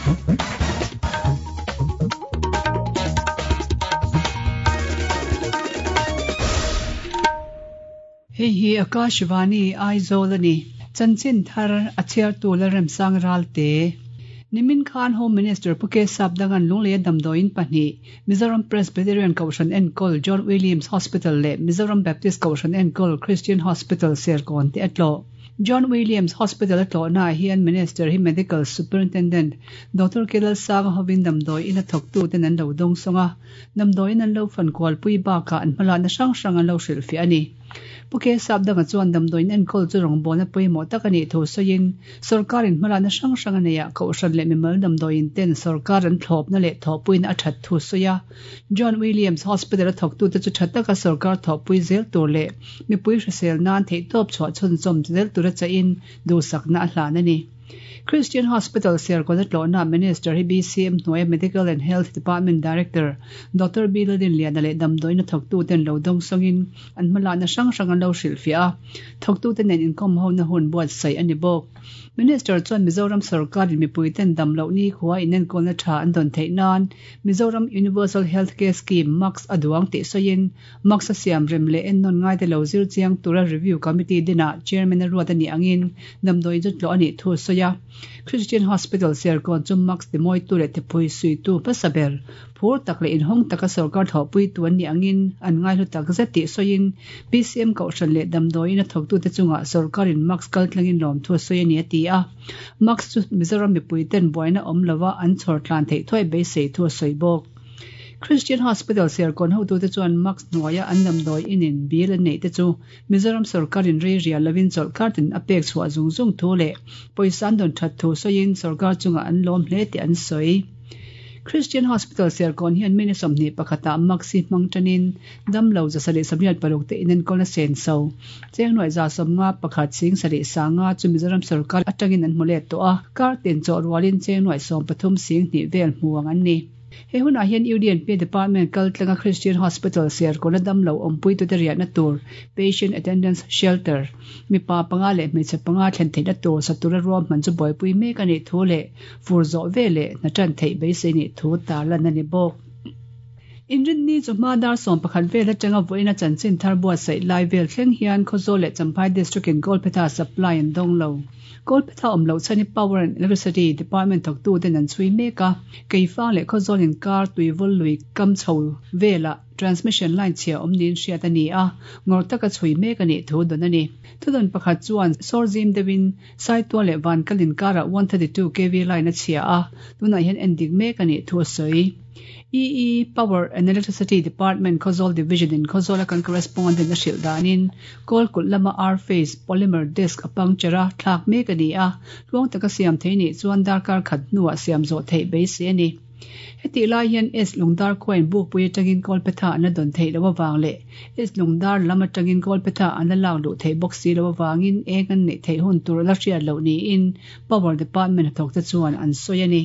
Hei hi Akashvani Aizawl a ni. Chanchin thar a chhiartu Lalremsang Ralte. Nimin khan Home Minister Pu K Sapdangan Lungleia damdawiin pahnih, Mizoram Presbyterian Kohhran enkawl John Williams Hospital leh Mizoram Baptist Kohhran enkawl Christian Hospital Serkawn te a tlawh. John Williams Hospital a tlawhnaah hian Minister hi Medical Superintendent Doctor K Lalsanga hovin damdawi ina thawktuten an lo dawngsawng a, damdawiin an lo fankualpui bakah an hmalakna hrang hrang an lo hrilhfiah a ni. Pu K Sapdanga chuan damdawiin enkawl chu rawngbawlna pawimawh tak a nih thu sawiin, sawrkarin hmalakna hrang hrang a neih ah Kohhran leh mimal damdawiin ten sawrkar an thlawpna leh thawhpuina a that thu sawi a. John Williams Hospital a thawktute chu tha taka sawrkar thawhpui zel tur leh mipui hrisel nan theihtawp chhuah chhunzawm zel tura chahin duhsakna a hlan a ni. Christian Hospital Serkawn a tlawhna Minister hi BCM hnuaia Medical and Health Department Director Doctor B Lalrinliana leh damdawiin a thawktuten lo dawngsawngin an hmalakna hrang hrang an lo hrilhfiah a, thawktute nen inkawm hona hun buatsaih a ni bawk. Minister chuan Mizoram sorkarin mipuiten dam loh nikhua inenkawlna tha an dawn theih nan Mizoram Universal Health Care Scheme, MACS, a duang tih sawiin MACS a siam rem leh ennawn ngaite lo zir chiang tura Review Committee dinah Chairman a ruat a nih angin damdawi chu tlawh a nih thu a sawi a. Christian Hospital Serkawn chu MACS timawitu leh thipui suitu hmasa ber, phur tak leh inhawng taka sawrkar thawhpuitu an nih angin an ngaihlu tak zet tih sawiin BCM Kohhran leh damdawiin a thawktute chungah sawrkarin MACS kaltlangin lawmthu a sawi a ni a ti a. MACS chu Mizoram mipuiten buaina awm lova an chhawr tlan theih thuai beisei thu a sawi bawk. Christian Hospital Serkawn hotute chuan Max hnuaia an damdawi inin bill an neih te chu Mizoram sawrkarin rei rial lovin chawlhkar tin a pek chhuah zung zung thu leh pawisa an dawn that thu sawiin sawrkar chungah an lawm hle tih an sawi. Christian Hospital Serkawn hian mini 21 ah Max hi hmang tanin damlo 176 te inenkawlna senso chengnuaih 51 sing sarih sanga chu Mizoram sawrkar atangin an hmu let tawh a, kar tin chawh rualin chengnuaih 13 sing hnih vel hmu ang an ni. He hunah hian UDNP Department kal tlanga Christian Hospital Serkawna damlo awmpuitute riahna tur Patient Attendance Shelter mipa panga leh hmeichhe panga thlen theihna tur sa tura ruahman chu buaipui mek a nih thu leh fur zawh ve leh hna tan theih beisei nih thu tarlan a ni bawk. Inrinni chu hma dar 11 vel atanga vawiina chanchin thar buatsaih lai vel thleng hian Khawzawl leh Champhai District in Kawlphetha supply an dawng lo. Kawlphetha awm loh chhan hi Power and Electricity Department thawktuten an chhui mek a, Keifang leh Khawzawl inkar tuivawl lui kam chho velah transmission line chhia awm niin hriat a ni a, ngawr taka chhui mek a nih thu dawn a ni. Thudawn pakhat chuan sawr zim deuhin Saitual leh Vankal inkarah 132 kv line a chhia a, tunah hian endik mek a nih thu a sawi. EE, Power and Electricity Department Khawzawl Division in Khawzawla kan correspondent a hrilh danin Kawl kulh lama R-phase polymer disc a puncture a, thlak mek a ni a, tluang taka siam thei nih chuan darkar khat hnuah siam zawh theih beisei a ni. Hetih lai hian S Lungdar khuain Bukpui atangin Kawlphetha an la dawn theih loh avang leh S Lungdar lam atangin Kawlphetha an la lak luh theih bawk si loh avangin eng an neih theih hun tur a la hriat loh niin Power Department hnathawkte chuan an sawi a ni.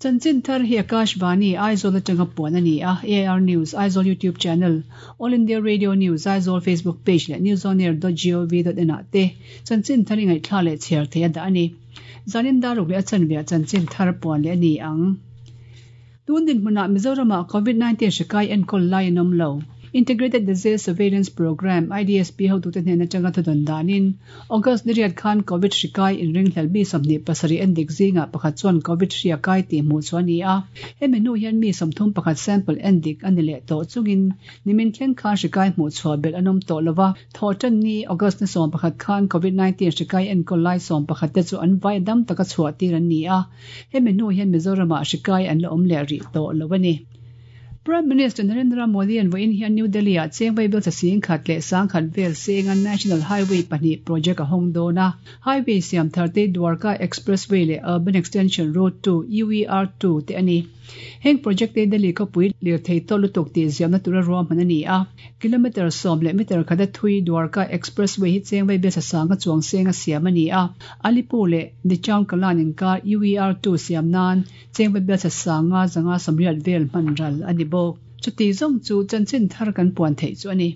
Chanchin thar hi Akashvani, Aizawl atanga puan a ni a, AIR News, Aizawl YouTube Channel, All India Radio News, Aizawl Facebook Page leh newsonair.gov.in ah te chanchin thar i ngaihthla leh chhiar thei a dah a ni. Zanin daruk leh a chanveah chanchin thar puan leh a ni ang. Tun dinhmunah Mizoramah Covid-19 hri kai enkawl lai an awm lo. Integrated Disease Surveillance Programme, IDSP, hotute hnen atanga thudawn danin, August ni riat khan Covid hri kai inringhlel mi 27 en dik zingah pakhat chuan Covid hri a kai tih hmuh chu a ni a. Hemi hnu hian mi 31 sample en dik a ni leh tawh chungin nimin thleng khan hri kai hmuh chhuah belh an awm tawh lo va. Thawhtan ni August ni 11 khan Covid 19 hri kai enkawl lai 11 te chu an vai dam taka chhuah tir an ni a. Hemi hnu hian Mizoramah hri kai an la awm leh rih tawh lo a ni. Prime Minister Narendra Modi an vawiin hian New Delhi ah cheng vaibel chasing khat leh sang khat vel senga National Highway pahnih project a hawng dawn a. Highway siam thar te Dwarka Expressway leh Urban Extension Road 2, UER 2, te a ni. Heng project te Delhi khawpui lirthei tawh lutuk tih ziamna tura ruahman a ni a. Kilometre sawm leh meter khata thui Dwarka Expressway hi cheng vaibel chasanga chuang senga siam a ni a. Alipur leh Dichaung Kalan inkar UER 2 siam nan Cheng Bible sanga zanga sawmriat vel hman ral a ni bawk. Chuti zawng chu chanchin thar kan puan theih chu a ni.